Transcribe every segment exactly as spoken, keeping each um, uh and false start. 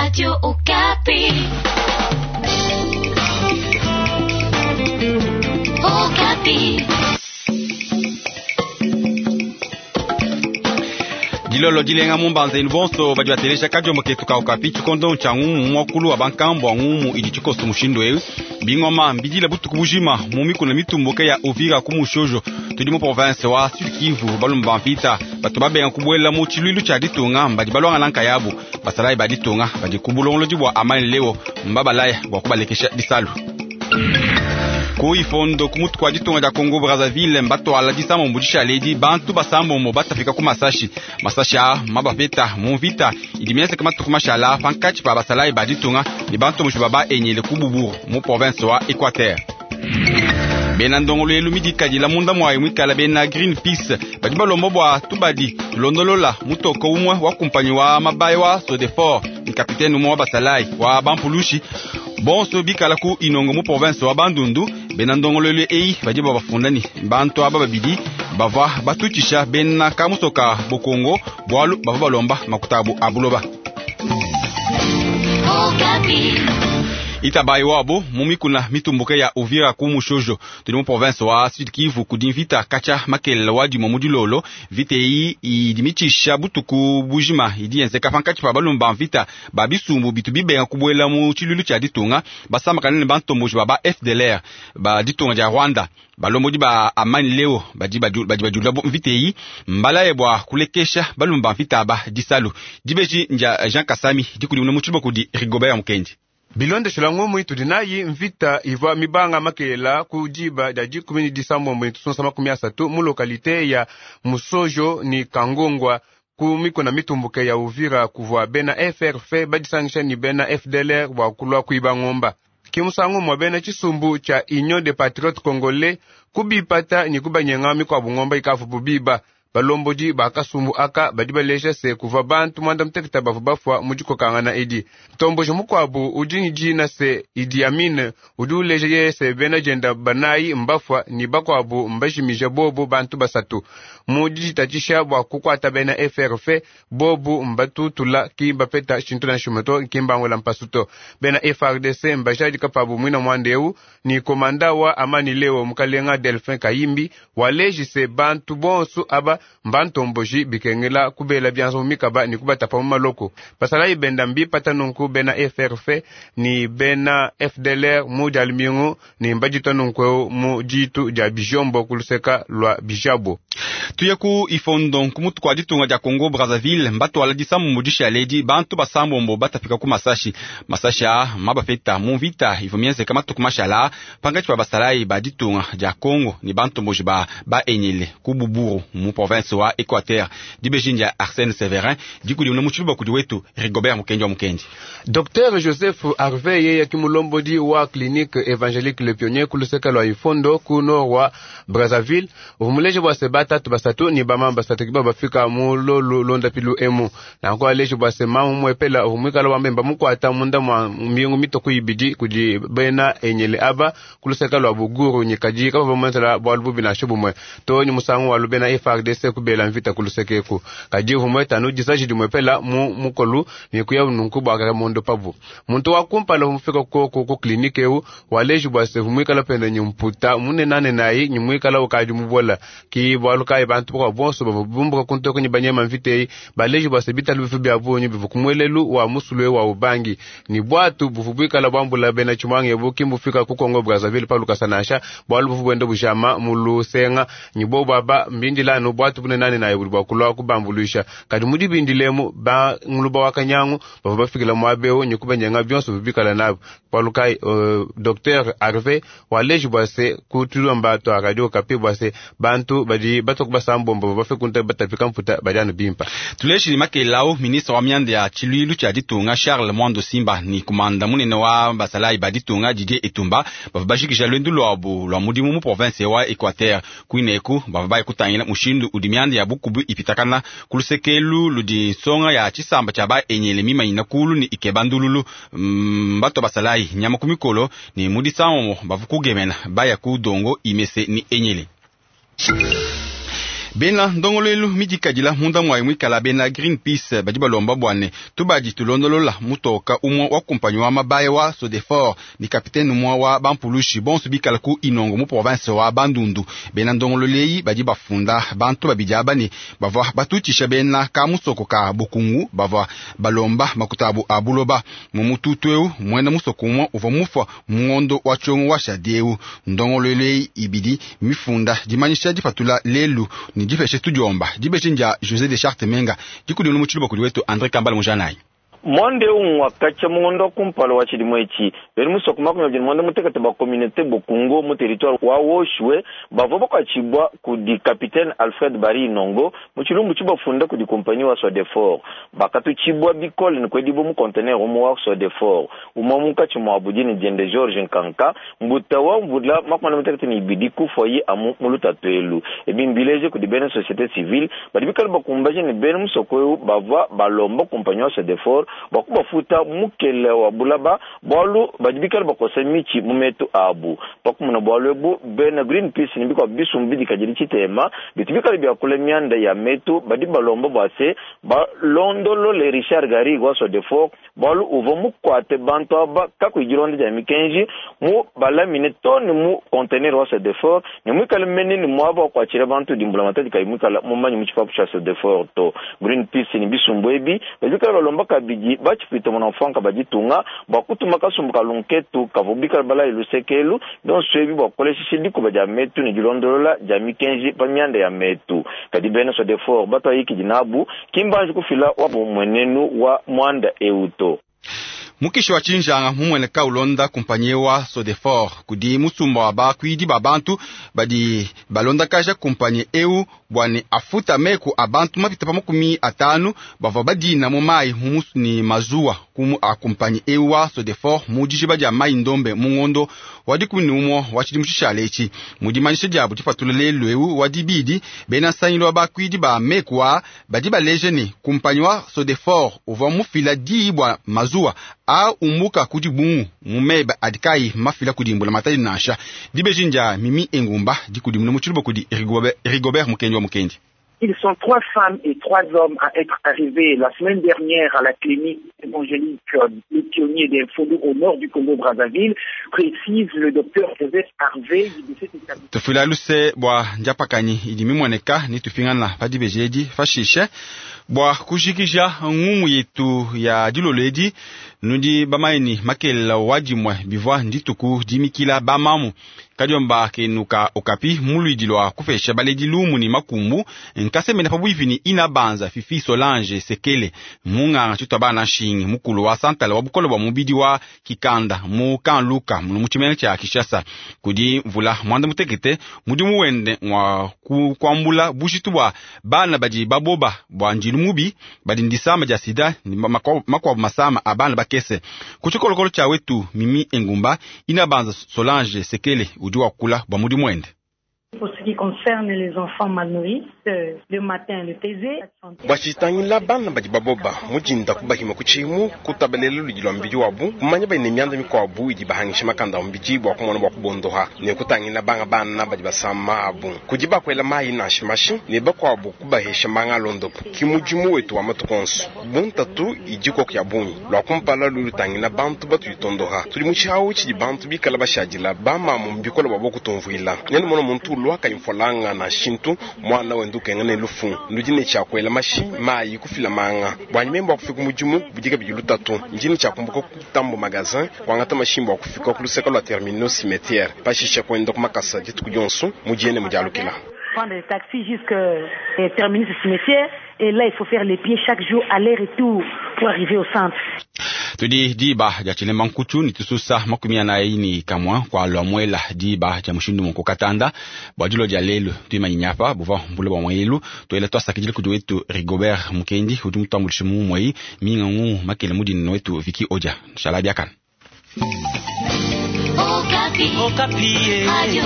Radio Okapi. Okapi. Dilolo dilenga mumbanza bonso badi batelesha kadiombo ketu ka Okapi tshikondo tshia ngumu muakulu wa bankambua ngumu idi tshikoso mushindu ewu bingoma mbidila butuku bujima mu mikuna mitumbuke ya Uvira ku Mushojo tudi mu province wa Sud Kivu balumba ba mvita bato babenga kubuela mu tshiluilu tshia ditunga badi balwangana nkayabu basalayi ba ditunga badi ku bulongolodi bua amani leo mbabalaya bua kubalekesha disalu ku ifondo ku mutu kwa ditunga dia Congo Brazzaville mbatwala disamombo dishaledi bantu basambombo batafika ku masashi masashi a mabapeta mu mvita idi mienzeke matuku mashala pankatshi pa basalayi ba ditunga ne bantu mushiba ba enyele ku Buburu mu province wa Equateur. Bena ndongoluelu midikadila munda mwayi mwikala bena Greenpeace badi balomba bua tubadi tulondolola mutoko umwe wa kumpanyi wa mabaya wa Sodefor ni kapitene umwe wa basalayi wa bampulushi bonso bikala ku inongo mu province wa Bandundu. Bena ndongoluelu eyi badi babafunda ni bantu aba babidi bava batutshisha bena kamusoka bokongo bwalu bava balomba makuta abu abuloba. Itabayi wabo mu mikuna mitumbuke ya Uvira ku Mushojo tudi mu province wa Sud Kivu kudi mvita katshia makelela wa dimue mu dilolo. Mvita eyi idi mitshisha butuku bujima idi yenzeka pankatshi pa balumba ba mvita ba bisumbu bitu bibenga kubuela mu tshiluilu tshia ditunga basambakana ne bantomboji ba ba F D L R ba ditunga dia Rwanda. Balombodi ba amani leo badi badi bajula mvita eyi mbalaye bua kulekesha balumba ba mvita aba disalu. Dibeji ndia Jean Kasami dikudimuna mu tshiluba kudi Rigobert Mukendi. Bilondeshela ngumu itudi nayi mvita ivua mibanga makelela ku diba dia dikumi ni disambombo ni tusonsa makumi asatu mu lokalite ya Musojo ni Kangongwa ku mikuna mitumbuke ya Uvira kuvua bena F R F badisangisha ni bena F D L R bua kulua kuiba ngomba. Kimusangu mwa bena tshisumbu tshia Union des Patriotes Congolais kubipata ni kubanyenga mikuabu ngomba ikavu bubiba. Balombodi bakasumbu aka badi balesha se kuva bantu mwanda muteketa bavu bafwa mu dikokangana edi. Ntomboji mukuabu udi ni dina se Idi Amin udi uleja ye se bena jenda banayi mbafwa ni bakuabu mbajimija bobu bantu basatu. Mu diditatshisha bua kukuata bena F R F bobu mbatutula ki bapeta tshintu na nshimuto ki mbangula mpasuto. Bena F R D C mbajadika pabu mwina mwandeu ni komanda wa Amani Leo mukalenga Delphin Kayimbi waleji se bantu bonsu aba mbantomboji bikengela kubela byanzo mikaba ni kubatapa mu maloko. Basalayi benda mbipata nunku bena F R F ni bena F D L R mu dia lumingu ni mbajita nunku mu ditu dia bijombo kuluseka lwa bijabo. Tuye ku ifondo kumutu kwa ditunga dia Congo Brazzaville mbatwala disambu dishaledi bantu basambombo batafika ku masashi masashi a mabapeta mu mvita ivua mienzeka matuku mashala pankatshi pa basalayi ba ditunga dia Congo ni bantomboji ba ba enyele ku Buburu mu province wa Equateur. Dibeji ndia Arsène Severin dikudimuna mu tshiluba kudi wetu Rigobert Mukendi wa Mukendi. Docteur Joseph Harvey yeye kimulombodi wa clinique évangélique Le Pionnier kuluseka lwa ifondo ku nord wa Brazzaville uvumuleje bwa sebata basatu ni bamama basatu kiba bafika mu lolu londa pilu emu nanko aleje bwa se mamu mwepela uvumwikala wambemba mukwata munda mwa mbingu mitoko ibidi kudi bena enyele aba kuluseka lwa buguru nyikaji kaba bamwenzela bwa lububi na shubumwe to ni musangu wa lubena F R D C kubela mvita kulusekeku kaji uvumweta nu jisaji dimwepela mu mukolu ni kuya nunku bwa kaka mondo pabu muntu wa kumpala umufika koko ku klinike eu waleje bwa se vumwikala penda nyimputa munenane nayi nyimwikala ukadi mubola ki bwaluka bantu kwa bonso bavumbuka kuntoko ni banyema mvitei baleji bwa sebita lubifu bya bunyu bivukumwelelu wa musulwe wa ubangi ni bwatu buvubwikala bwambula bena chimwange bukimbufika ku Congo Brazzaville paluka sanasha bwalu buvubwende bujama mulusenga ni bo baba mbindilano bwatu bunenane naye buli bwakulwa kubambulisha kadi mudi bindilemu ba nguluba wakanyangu bavu bafikila mwabeo nyikubenyenga byonso bibikala nabo paluka uh, Docteur Harvey waleji bwa se kutulomba to radio Okapi bwa se bantu badi batoku basambombo bafe kunta batapika mputa badiano bimpa. Tuleshi makelao ministre wa mianda ya tshiluilu tshia ditunga Charles Mwando Simba ni kumanda munene wa basalayi ba ditunga Didier Etumba bava bashikisha lwendu lwabu lwa mudimu mu province wa Equateur kuineku bava baye kutangila mushindu udi mianda ya bukubu ipitakana kulusekelu ludi nsonga ya tshisamba tshia ba enyele mimanyina kulu ni ikeba ndululu mm, bato basalayi nyama ku mikolo ni mudisamomo bava kugemena baya ku dongo imese ni enyele. Bena ndongoluelu midikadila munda mwayi mwikala bena Greenpeace badi balomba bwane tubadi tulondolola mutoka umwe wa kumpanyi wa mabaya wa Sodefor ni kapitene umwe wa bampulushi bonso bikala ku Inongo mu province wa Bandundu. Bena ndongoluelu badi bafunda bantu babidi aba ne bavua batutisha bena ka musoko ka Bukungu bavua balomba makutabu a buloba mu mututu eu mwena musoko umwe uvua mufa ngondo wa tshiongo wa shadieu. Ndongoluelu ibidi mifunda dimanyisha dipatula lelu ni dipeshe tudiomba dibeshe ndia José de Charte Menga dikudinu mu tshiluba kudi wetu André Kambala Mujanayi. Mwande umwakacha mungondo kumpala wa chilimwechi beri musoko makumi abiri mwanda mutekete ba communauté Bokungo mu territoire wa Woshwe bavo bakwachibwa kudi capitaine Alfred Bari Inongo mu chilumbu chibafunda kudi compagnie wa Sodefor bakatuchibwa bikole nikwedibo mu conteneur umu wa Sodefor umwa mukachi mwa budini diende George Nkanka mbuta wa mvula makumi mutekete ni ibidi kufoyi amu mulutatwelu ebimbileje kudi bene société civile badi bikale bakumbaje ni bene musoko bava balomba compagnie wa Sodefor bakubafuta mukele wa bulaba bwalu badibikala bakosa michi mumetu abu pakumuna bwalu ebu bena Greenpeace nibikwa bisumbu bidikajili chitema bitibikala byakula myanda ya metu badi balomba bwase balondolole Richard Gari wa Sodefor bwalu uvo mukwate bantu aba kakwijilonda ja mikenji mu balamine toni mu conteneur wa Sodefor ne mwikala menene mwaba wakwachila bantu dimbula matadi kai mwikala mumanyi muchipapu cha Sodefor to Greenpeace ni bisumbu ebi badibikala balomba kabidi bachipita mwana bajitunga bakutuma kasumbu kalunketu kavubika bala ilusekelu don swebi bakolesha dikuba ja metu ni dilondolola ja mikenji pa myanda ya metu kadi bena Sodefor batwa yiki dinabu kimbanji kufila wabu mwenenu wa mwanda euto. Mukishi wa chinjanga mumwene ka ulonda kumpanyi wa Sodefor kudi musumba wa bakwidi ba bantu badi balonda kaja kumpanyi eu bwane afuta meku abantu mapita pa makumi atanu bavua badina mu mai mumusu ni mazuwa kumu a kumpanyi eu wa Sodefor mu dijiba dia mai ndombe mu ngondo wa dikumi ne umue wa tshidimu tshishale etshi. Mu dimanyisha diabu dipatula lelu eu wa dibidi bena nsangilu wa bakwidi ba meku a badi baleje ne kumpanyi wa Sodefor uvua mufila diyi bua mazuwa a umbuka kudi bungu mumeba adikai mafila kudimbula matadi nansha dibeji ndia Mimi Engumba dikudimuna mu tshiluba kudi Rigobert, Rigobert Mukendi wa Mukendi. Ils sont trois femmes et trois hommes à être arrivés la semaine dernière à la clinique évangélique Les Pionniers des Fondou au nord du Congo-Brazzaville, précise le docteur Joseph Harvey de cet établissement. Tufila luse bwa njapakanyi idi mimweneka ni tufingana pa dibeji edi fashishe bwa kujikija ngumu yetu ya dilolo edi nudi bamaini makelela wadimwe bivwa ndituku dimikila bamamu kadiomba kenuka okapi muluidi lwa kufesha baledi lumu ni makumbu nkasemene pabwipi ni ina banza Fifi Solange Sekele munganga tshitwa bana nshingi mukulu wa santala wa bukolo bwa mubidi wa kikanda mu kanluka muno mu tshimene tshia Kinshasa kudi mvula mwanda mutekete mudimu wende wa kuambula bushitu bwa bana badi baboba bwa njilu mubi badi ndisama dia sida ni makwabu masama a bana bakese ku tshikolokolo tshia wetu Mimi Engumba ina banza Solange Sekele udi wakula bwa mudimu wende. Pour ce qui concerne les enfants mal nourris, le matin le pesé. Bwachitangila bana badi baboba mujinda kubahima kuchimu kutabalela ludi lwa mbidi wabu kumanya bali myanda mikwabu idi bahangisha makanda mbidi bwa kumona bwa kubondoha ne kutangila banga bana badi basama abu kudi bakwela mayi nashi mashi ne bakwabu kubahesha manga londopo kimujimu wetu wa matukonso buntatu idiko kya bunyi lwa kumpala lulutangila bantu batuyitondoha tuli muchawu chidi bantu bikala bashadila bamamu mbikola babo kutumvuila nene mono muntu lwaka imfolanga na shintu mwana wendukenga ne lufu ndudi chakwela mashi mayi kufila manga bwanyi membo akufika mujimu budika bijilu tatu njini chakumbuka kutambo magazin kwangata mashimbo akufika kuluseka lwa terminal cimetière pashisha kwenda kumakasa dituku dionso mujiene mujalukila. Prendre le taxi jusqu'à terminer ce cimetière et là il faut faire les pieds chaque jour aller-retour pour arriver au centre. Tudi diba dia tshilemba nkutu ni tususa makumi anayi ni kamwa kwa lwa mwela diba dia mushindu monko katanda bwa dilo dia lelu tuimanyinya apa buva mbula bwa mwelu tuela twasakidile kudi wetu Rigobert Mukendi udi mutambulishe mu mwei minga ngu makele mudini wetu Viki Odia shala biakana. Okapi. Okapi. Radio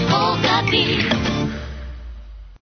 Okapi.